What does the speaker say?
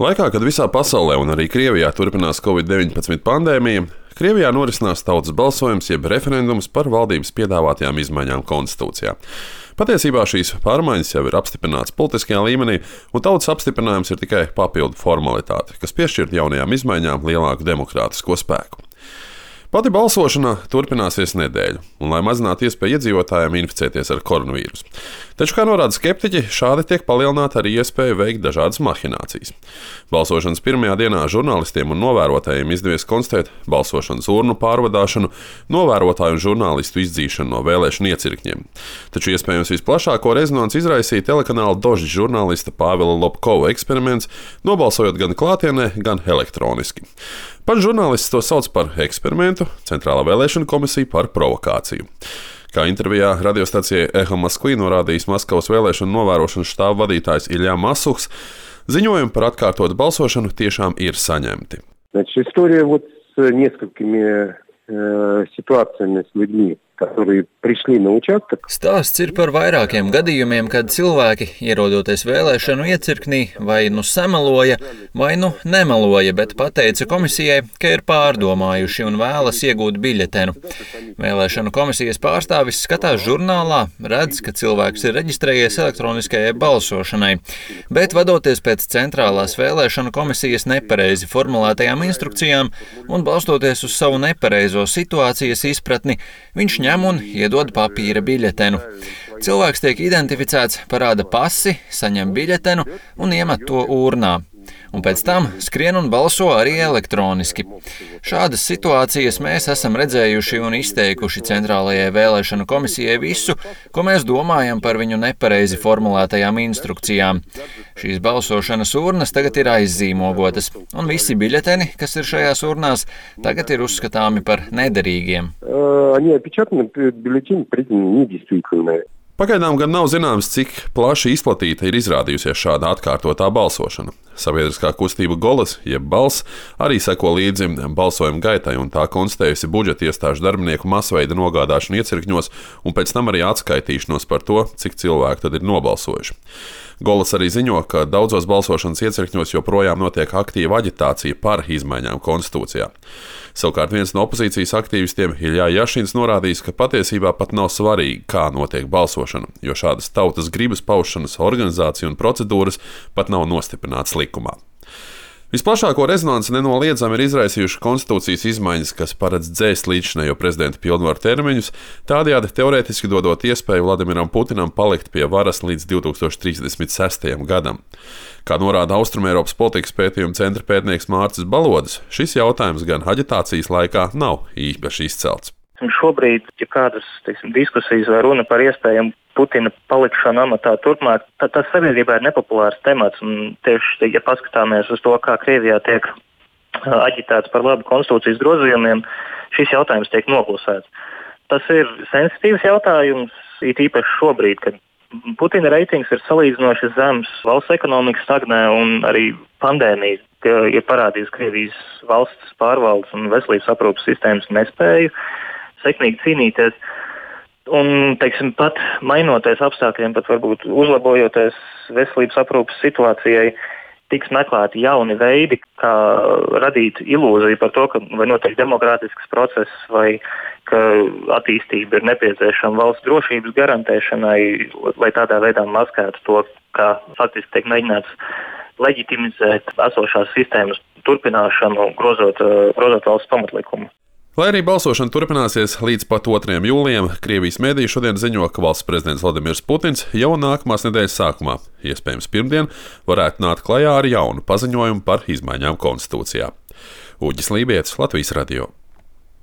Laikā, kad visā pasaulē un arī Krievijā turpinās Covid-19 pandēmija, Krievijā norisinās tautas balsojums jeb referendums par valdības piedāvātajām izmaiņām konstitūcijā. Patiesībā šīs pārmaiņas jau ir apstiprināts politiskajā līmenī, un tautas apstiprinājums ir tikai papildu formalitāte, kas piešķir jaunajām izmaiņām lielāku demokrātisko spēku. Pati balsošana turpināsies nedēļu, un lai mazinātu iespēju iedzīvotājiem inficēties ar koronavīrusu. Taču, kā norāda skeptiķi, šādi tiek palielināta arī iespēja veikt dažādas mahinācijas. Balsošanas pirmajā dienā žurnālistiem un novērotājiem izdevies konstatēt balsošanas urnu pārvadāšanu, novērotāju un žurnālistu izdzīšanu no vēlēšanu iecirkņiem. Taču iespējams visplašāko rezonanci izraisīja telekanāla Dožģa žurnālista Pāvila Lobkova eksperiments, nobalsojot gan klātienē, gan elektroniski. Pats žurnālists to sauc par eksperimentu, Centrālā vēlēšana komisija par provokāciju. Kā intervijā radiostacijai Eho Moskvī norādījis Maskavas vēlēšanu novērošanas štāba vadītājs Ilja Masuhs, ziņojumi par atkārtotu balsošanu tiešām ir saņemti. История с несколькими ситуациями с людьми, которые пришли на участок. Stāsts ir par vairākiem gadījumiem, kad cilvēki, ierodoties vēlēšanu iecirknī, vai nu sameloja, vai nu nemeloja, bet pateica komisijai, ka ir pārdomājuši un vēlas iegūt biļetenu. Vēlēšanu komisijas pārstāvis skatās žurnālā, redz, ka cilvēks ir reģistrējies elektroniskajai balsošanai, bet vadoties pēc Centrālās vēlēšanu komisijas nepareizi formulētajām instrukcijām un balstoties uz savu nepareizo situācijas izpratni, viņš ņem un iedod papīra biļetenu. Cilvēks tiek identificēts, parāda pasi, saņem biļetenu un iemet to urnā. Un pēc tam skrien un balso arī elektroniski. Šādas situācijas mēs esam redzējuši un izteikuši Centrālajai vēlēšanu komisijai visu, ko mēs domājam par viņu nepareizi formulētajām instrukcijām. Šīs balsošanas urnas tagad ir aizzīmogotas, un visi biļeteni, kas ir šajās urnās, tagad ir uzskatāmi par nederīgiem. Pagaidām gan nav zināms, cik plaši izplatīta ir izrādījusies šāda atkārtotā balsošana. Sabiedriskā kustība Golas, jeb Balss, arī seko līdzi balsojuma gaitai un tā konstatējusi budžeta iestāžu darbinieku masveida nogādāšanu iecirkņos un pēc tam arī atskaitīšanos par to, cik cilvēku tad ir nobalsojuši. Golas arī ziņo, ka daudzos balsošanas iecirkņos joprojām notiek aktīva aģitācija par izmaiņām konstitūcijā. Savukārt viens no opozīcijas aktīvistiem Ilja Jašins norādījis, ka patiesībā pat nav svarīgi, kā notiek balsošana, jo šādas tautas gribas paušanas organizācija un procedūras pat nav nostiprinātas likumā. Visplašāko rezonanci nenoliedzami ir izraisījuši konstitūcijas izmaiņas, kas paredz dzēst līdzinējo prezidenta pilnvaru termiņus, tādējādi teorētiski dodot iespēju Vladimiram Putinam palikt pie varas līdz 2036. gadam. Kā norāda Austrumēropas politikas pētījuma centra pētnieks Mārcis Balodis, šis jautājums gan aģitācijas laikā nav īpaši izcelts. Šobrīd, ja kādas diskusijas vai runa par iespējamu Putina palikšanu amatā turpmāk, tas sabiedrībā ir nepopulārs temats. Un tieši, ja paskatāmies uz to, kā Krievijā tiek aģitēts par labu konstitūcijas grozījumiem, šis jautājums tiek noklusēts. Tas ir sensitīvs jautājums, it īpaši šobrīd, kad Putina reitings ir salīdzinoši zems, valsts ekonomika stagnē un arī pandēmija ir parādījusi Krievijas valsts pārvaldes un veselības aprūpes sistēmas nespēju sekmīgi cīnīties. Un, pat mainoties apstākļiem, pat varbūt uzlabojoties veselības aprūpes situācijai, tiks meklēti jauni veidi, kā radīt ilūziju par to, ka vai notiek demokrātisks process, vai ka attīstība ir nepieciešama valsts drošības garantēšanai, lai tādā veidā maskētu to, kā faktiski tiek mēģināts leģitimizēt esošās sistēmas turpināšanu, grozot valsts pamatlikumu. Lai arī balsošana turpināsies līdz pat 2. jūlijam, Krievijas mēdīji šodien ziņo, ka valsts prezidents Vladimirs Putins jau nākamās nedēļas sākumā, iespējams pirmdien, varētu nākt klajā ar jaunu paziņojumu par izmaiņām konstitūcijā. Uģis Lībietis, Latvijas radio.